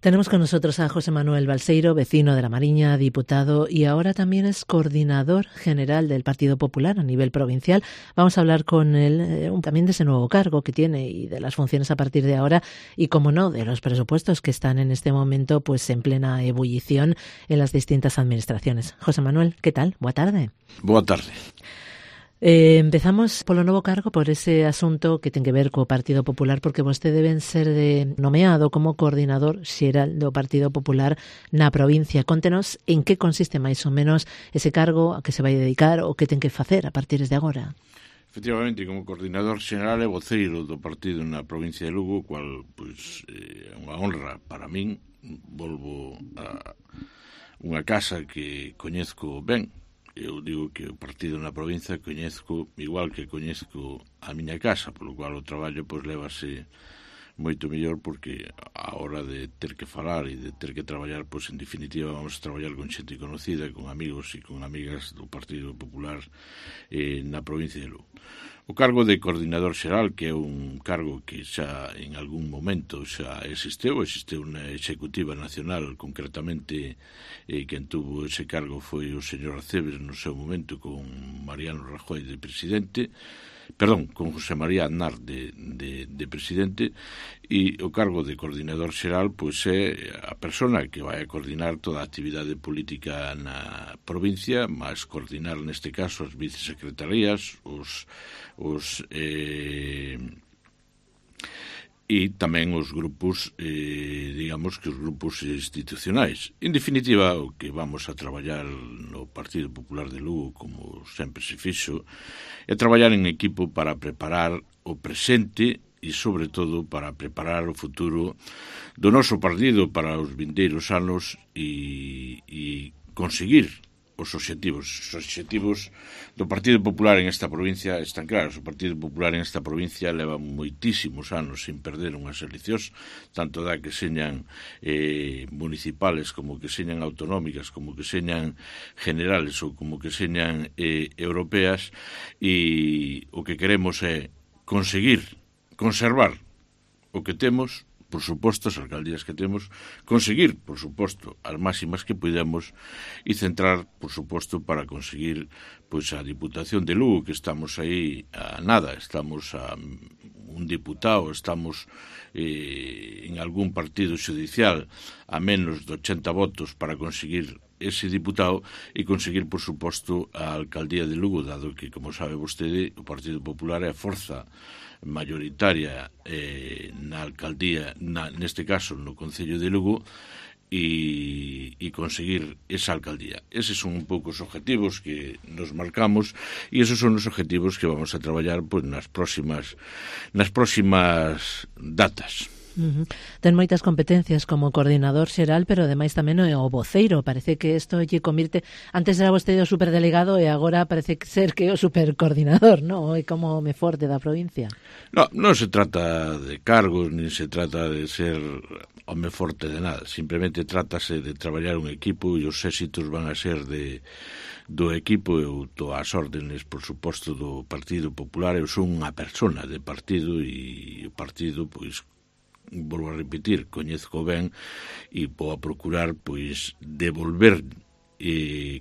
Tenemos con nosotros a José Manuel Balseiro, vecino de La Mariña, diputado y ahora también es coordinador general del Partido Popular a nivel provincial. Vamos a hablar con él también de ese nuevo cargo que tiene y de las funciones a partir de ahora y, como no, de los presupuestos que están en este momento pues en plena ebullición en las distintas administraciones. José Manuel, ¿qué tal? Boa tarde. Boa tarde. Empezamos polo novo cargo, por ese asunto que ten que ver co Partido Popular, porque vostede deben ser nomeado como coordinador xeral do Partido Popular na provincia. Contenos en que consiste máis ou menos ese cargo, a que se vai dedicar ou que ten que facer a partir de agora. Efectivamente, como coordinador xeral e voceiro do partido na provincia de Lugo, cual é unha honra para min. Volvo a unha casa que coñezco ben. Eu digo que o partido na provincia coñezco igual que coñezco a miña casa, polo cual o traballo pois lévase moito mellor, porque a hora de ter que falar e de ter que traballar, pois en definitiva vamos a traballar con xente conocida, con amigos e con amigas do Partido Popular na provincia de Lugo. O cargo de coordinador xeral, que é un cargo que xa en algún momento xa existeu na Executiva Nacional, concretamente quen tuvo ese cargo foi o señor Aceves no seu momento con Mariano Rajoy de presidente, con José María Aznar de presidente, e o cargo de coordinador xeral pois é a persona que vai a coordinar toda a actividade política na provincia, máis coordinar neste caso as vicesecretarías, e tamén os grupos, digamos que os grupos institucionais. En definitiva, o que vamos a traballar no Partido Popular de Lugo, como sempre se fixo, é traballar en equipo para preparar o presente e, sobre todo, para preparar o futuro do noso partido para os vindeiros anos e conseguir os obxectivos do Partido Popular en esta provincia están claros. O Partido Popular en esta provincia leva moitísimos anos sin perder unhas eleccións, tanto da que señan municipales, como que señan autonómicas, como que señan generales ou como que señan europeas, e o que queremos é conseguir conservar o que temos, por suposto, as alcaldías que temos, conseguir, por suposto, as máximas que podemos e centrar, por suposto, para conseguir pois a Diputación de Lugo, que estamos aí a nada, estamos a un diputado, estamos en algún partido xudicial a menos de 80 votos para conseguir ese diputado e conseguir, por suposto, a alcaldía de Lugo, dado que, como sabe vostede, o Partido Popular é a forza mayoritaria na alcaldía, neste caso no Concello de Lugo, e conseguir esa alcaldía. Eses son un pouco os objetivos que nos marcamos e esos son os objetivos que vamos a traballar pois nas próximas datas. Ten moitas competencias como coordinador xeral, pero ademais tamén é o voceiro. Parece que isto lle convirte, antes era vostede o superdelegado e agora parece ser que é o supercoordinador, non? É como me forte da provincia. Non se trata de cargos, nin se trata de ser home forte de nada, simplemente trátase de traballar un equipo e os éxitos van a ser do equipo. Eu estou ás órdenes, por suposto, do Partido Popular. Eu son unha persona de partido e o partido, pois, volvo a repetir, coñezco ben e vou a procurar pois devolver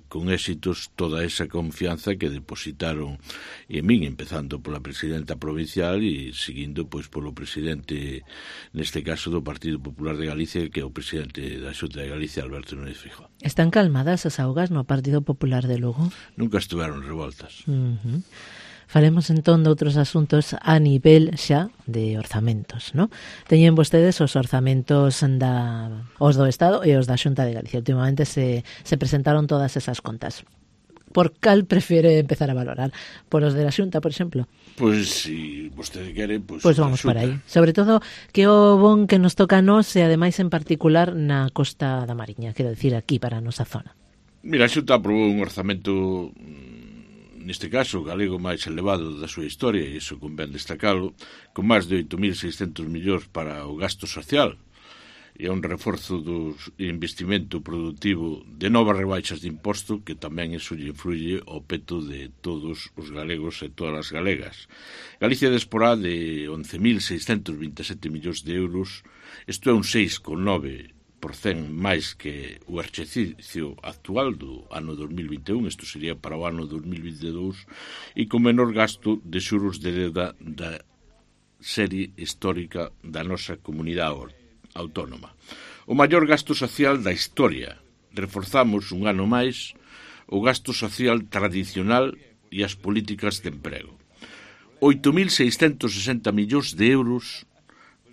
con éxitos toda esa confianza que depositaron en min, empezando pola presidenta provincial e seguindo pois polo presidente, neste caso do Partido Popular de Galicia, que é o presidente da Xunta de Galicia, Alberto Núñez Feijóo. Están calmadas as augas no Partido Popular de Lugo? Nunca estiveron revoltas. Faremos entón de outros asuntos a nivel xa de orzamentos, non? Teñen vostedes os orzamentos os do Estado e os da Xunta de Galicia. Últimamente se presentaron todas esas contas. Por cal prefere empezar a valorar? Por os de la Xunta, por exemplo? Pois, se vostede quere, pois vamos por aí. Sobre todo, que o bon que nos toca a nós e ademais en particular na Costa da Mariña, quero dicir aquí para a nosa zona. Mira, a Xunta aprobou un orzamento, neste caso, galego máis elevado da súa historia, e iso convén destacalo, con máis de 8.600 millóns para o gasto social, e un reforzo do investimento productivo de novas rebaixas de imposto, que tamén iso lle influye ao peto de todos os galegos e todas as galegas. Galicia disporá de 11.627 millóns de euros, isto é un 6,9% máis que o exercicio actual do ano 2021, isto sería para o ano 2022, e con menor gasto de xuros de deuda da serie histórica da nosa comunidade autónoma. O maior gasto social da historia. Reforzamos un ano máis o gasto social tradicional e as políticas de emprego. 8.660 millóns de euros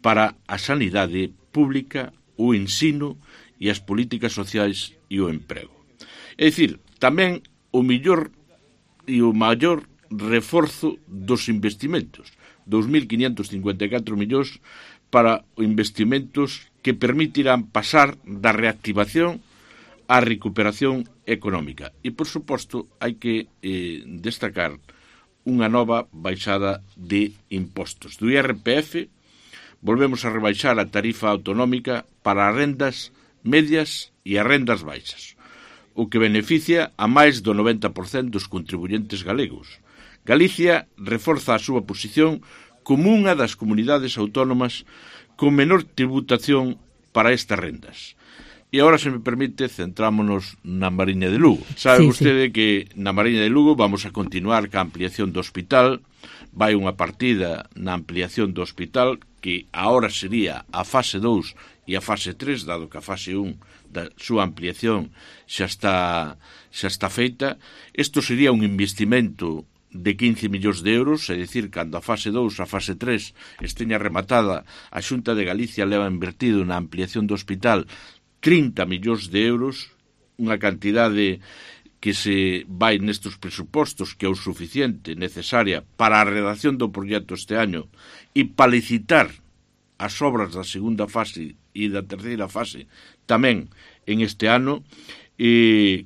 para a sanidade pública, o ensino e as políticas sociais e o emprego. É dicir, tamén o mellor e o maior reforzo dos investimentos. 2.554 millóns para investimentos que permitirán pasar da reactivación á recuperación económica. E, por suposto, hai que destacar unha nova baixada de impostos. Do IRPF, volvemos a rebaixar a tarifa autonómica para as rendas medias e as rendas baixas, o que beneficia a máis do 90% dos contribuyentes galegos. Galicia reforza a súa posición como unha das comunidades autónomas con menor tributación para estas rendas. E agora, se me permite, centrámonos na Mariña de Lugo. Sabe vostede que na Mariña de Lugo vamos a continuar ca ampliación do hospital. Vai unha partida na ampliación do hospital que agora sería a fase 2 e a fase 3, dado que a fase 1 da súa ampliación xa está feita. Isto sería un investimento de 15 millóns de euros, é dicir, cando a fase 2, a fase 3 esteña rematada, a Xunta de Galicia leva invertido na ampliación do hospital 30 millóns de euros, unha cantidade que se vai nestes presupostos que é o suficiente, necesaria para a redacción do proxecto este año e para licitar as obras da segunda fase e da terceira fase tamén en este ano,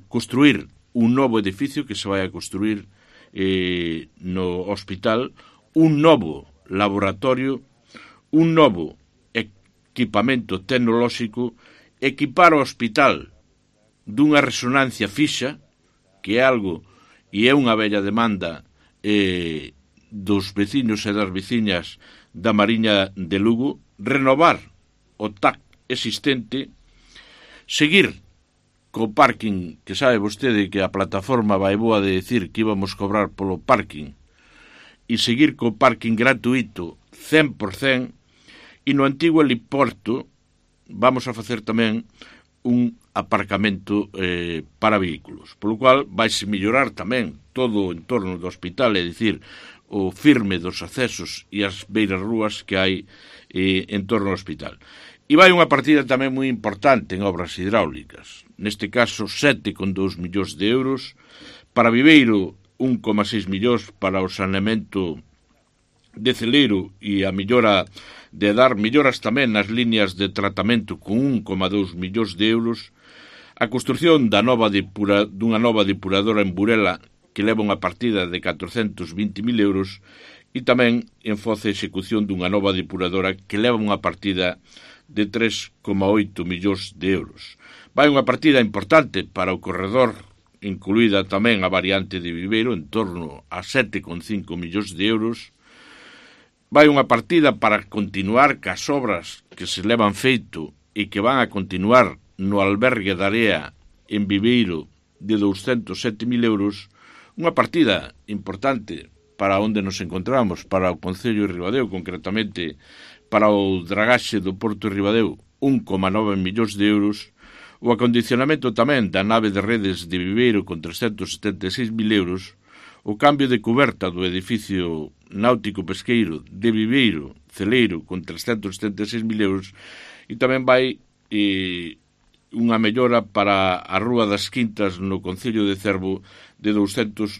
construir un novo edificio que se vai a construir no hospital, un novo laboratorio, un novo equipamento tecnolóxico, equipar o hospital dunha resonancia fixa, que é algo e é unha bella demanda dos veciños e das veciñas da Mariña de Lugo, renovar o TAC existente, seguir co parking, que sabe vostede que a plataforma vai boa de decir que íbamos cobrar polo parking, e seguir co parking gratuito 100%, e no antigo heliporto vamos a facer tamén un aparcamento para vehículos, polo cual vaise mellorar tamén todo o entorno do hospital, é dicir, o firme dos accesos e as beiras rúas que hai en torno ao hospital. E vai unha partida tamén moi importante en obras hidráulicas, neste caso 7,2 millóns de euros, para Viveiro 1,6 millóns para o saneamento de Celeiro e a mellora de dar melloras tamén nas líneas de tratamento con 1,2 millóns de euros, a construción dunha nova depuradora en Burela que leva unha partida de 420.000 euros e tamén en Foz a execución dunha nova depuradora que leva unha partida de 3,8 millóns de euros. Vai unha partida importante para o corredor, incluída tamén a variante de Viveiro, en torno a 7,5 millóns de euros. Vai unha partida para continuar cas obras que se levan feito e que van a continuar no albergue da Area en Viveiro de 207.000 euros, unha partida importante para onde nos encontramos, para o Concello de Ribadeo, concretamente para o dragaxe do Porto de Ribadeo, 1,9 millóns de euros, o acondicionamento tamén da nave de redes de Viveiro con 376.000 euros, o cambio de coberta do edificio náutico pesqueiro de Viveiro, Celeiro, con 376.000 euros, e tamén vai unha mellora para a Rúa das Quintas no Concello de Cervo de 200.000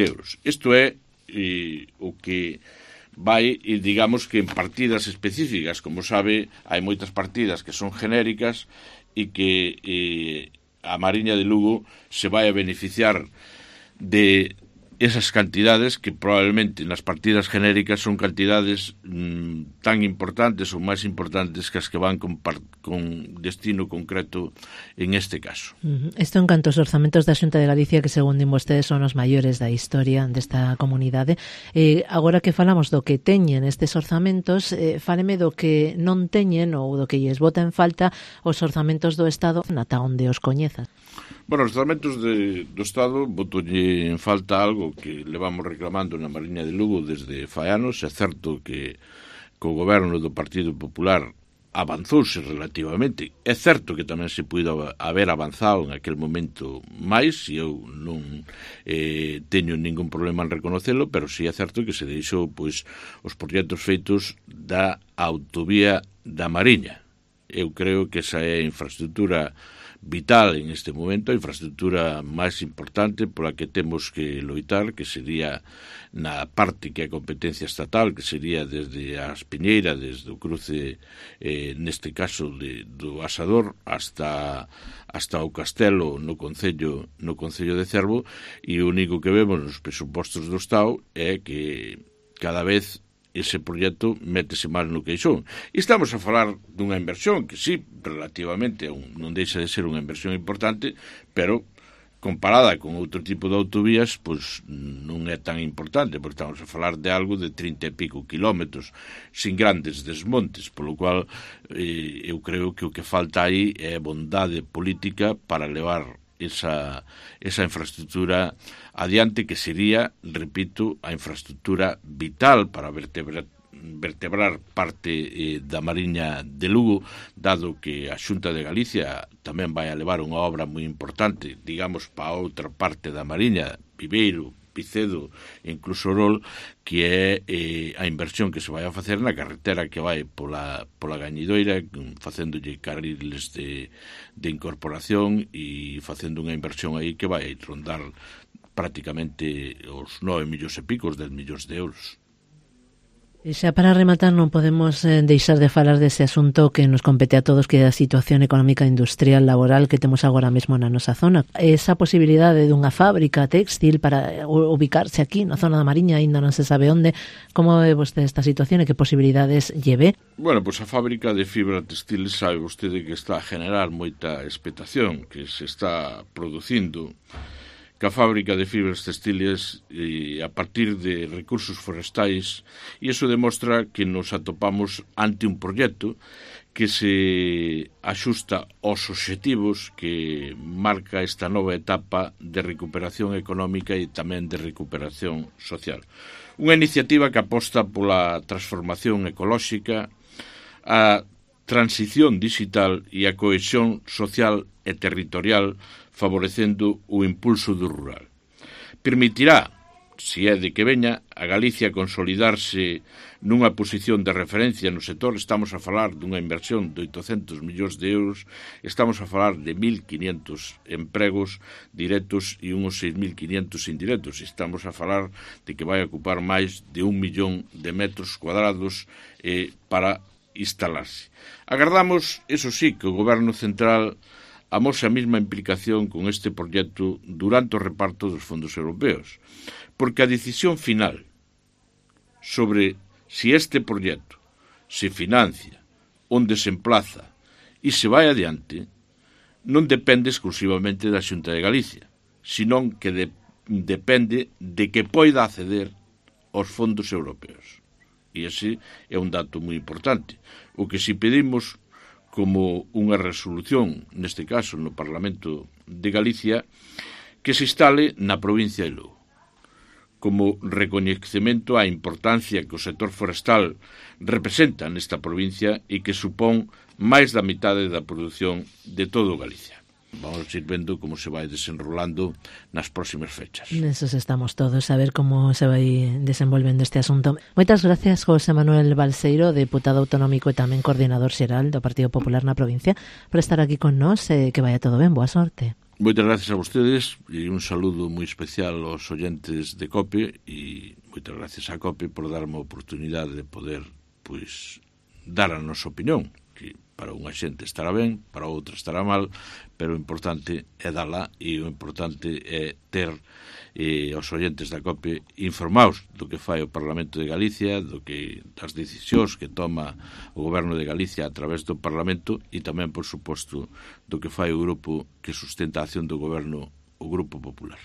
euros. Isto é o que vai, digamos que en partidas específicas. Como sabe, hai moitas partidas que son genéricas e que a Mariña de Lugo se vai a beneficiar de esas cantidades que probablemente nas partidas genéricas son cantidades tan importantes ou máis importantes que as que van con destino concreto en este caso. Isto en canto aos orzamentos da Xunta de Galicia, que segundo vostedes son os maiores da historia desta comunidade. Agora que falamos do que teñen estes orzamentos, fáleme do que non teñen ou do que lles bota en falta os orzamentos do Estado ata onde os coñezas. Bueno, os orzamentos do Estado botolle en falta algo que levamos reclamando na Mariña de Lugo desde fai anos. É certo que co goberno do Partido Popular avanzouse relativamente. É certo que tamén se puido haber avanzado en aquel momento máis, e eu non teño ningún problema en reconocelo, pero sí é certo que se deixou pois os proxectos feitos da autovía da Mariña. Eu creo que esa é a infraestructura vital en este momento, a infraestructura máis importante pola que temos que loitar, que sería na parte que é competencia estatal, que sería desde a Espiñeira, desde o cruce, neste caso do Asador, hasta o Castelo no Concello de Cervo, e o único que vemos nos presupostos do Estado é que cada vez ese proxecto métese máis no queixón. E estamos a falar dunha inversión que sí, relativamente non deixa de ser unha inversión importante, pero comparada con outro tipo de autovías, pois non é tan importante, porque estamos a falar de algo de 30 e pico kilómetros, sin grandes desmontes, polo cual eu creo que o que falta aí é bondade política para levar esa infraestructura adiante, que sería, repito, a infraestructura vital para vertebrar parte da Mariña de Lugo, dado que a Xunta de Galicia tamén vai a levar unha obra moi importante, digamos, para outra parte da Mariña, Viveiro, Picedo e incluso Orol, que é a inversión que se vai a facer na carretera que vai pola Gañidoira, facéndolle carriles de incorporación e facendo unha inversión aí que vai rondar prácticamente os 9 millóns e pico, 10 millóns de euros. E xa para rematar non podemos deixar de falar dese asunto que nos compete a todos, que é a situación económica, industrial, laboral que temos agora mesmo na nosa zona. Esa posibilidade dunha fábrica textil para ubicarse aquí na zona da Mariña, aínda non se sabe onde. Como ve vostede esta situación e que posibilidades lleve? Bueno, pois a fábrica de fibra textil sabe vostede que está a generar moita expectación, que se está producindo que a fábrica de fibras textiles a partir de recursos forestais, e iso demostra que nos atopamos ante un proxecto que se axusta aos obxectivos que marca esta nova etapa de recuperación económica e tamén de recuperación social. Unha iniciativa que aposta pola transformación ecolóxica, a transición digital e a cohesión social e territorial, favorecendo o impulso do rural. Permitirá, se é de que veña, a Galicia consolidarse nunha posición de referencia no sector. Estamos a falar dunha inversión de 800 millóns de euros, estamos a falar de 1.500 empregos directos e uns 6.500 indirectos. Estamos a falar de que vai ocupar máis de 1 millón de metros cuadrados para instalarse. Agardamos, eso sí, que o Goberno Central amose a mesma implicación con este proxecto durante o reparto dos fondos europeos, porque a decisión final sobre se este proxecto se financia, onde se emplaza e se vai adiante, non depende exclusivamente da Xunta de Galicia, senón que depende de que poida acceder aos fondos europeos. E ese é un dato moi importante. O que si pedimos como unha resolución, neste caso no Parlamento de Galicia, que se instale na provincia de Lugo, como recoñecemento á importancia que o sector forestal representa nesta provincia e que supón máis da mitade da produción de todo Galicia. Vamos ir vendo como se vai desenrolando nas próximas fechas. Nesos estamos todos, a ver como se vai desenvolvendo este asunto. Moitas gracias, José Manuel Balseiro, deputado autonómico e tamén coordinador xeral do Partido Popular na provincia, por estar aquí con nós, que vaya todo ben, boa sorte. Moitas gracias a vostedes e un saludo moi especial aos oyentes de COPE, e moitas gracias a COPE por darme a oportunidade de poder dar a nosa opinión. que para unha xente estará ben, para outra estará mal, pero o importante é dala e o importante é ter os oyentes da COPE informados do que fai o Parlamento de Galicia, das decisións que toma o Goberno de Galicia a través do Parlamento e tamén, por suposto, do que fai o grupo que sustenta a acción do Goberno, o Grupo Popular.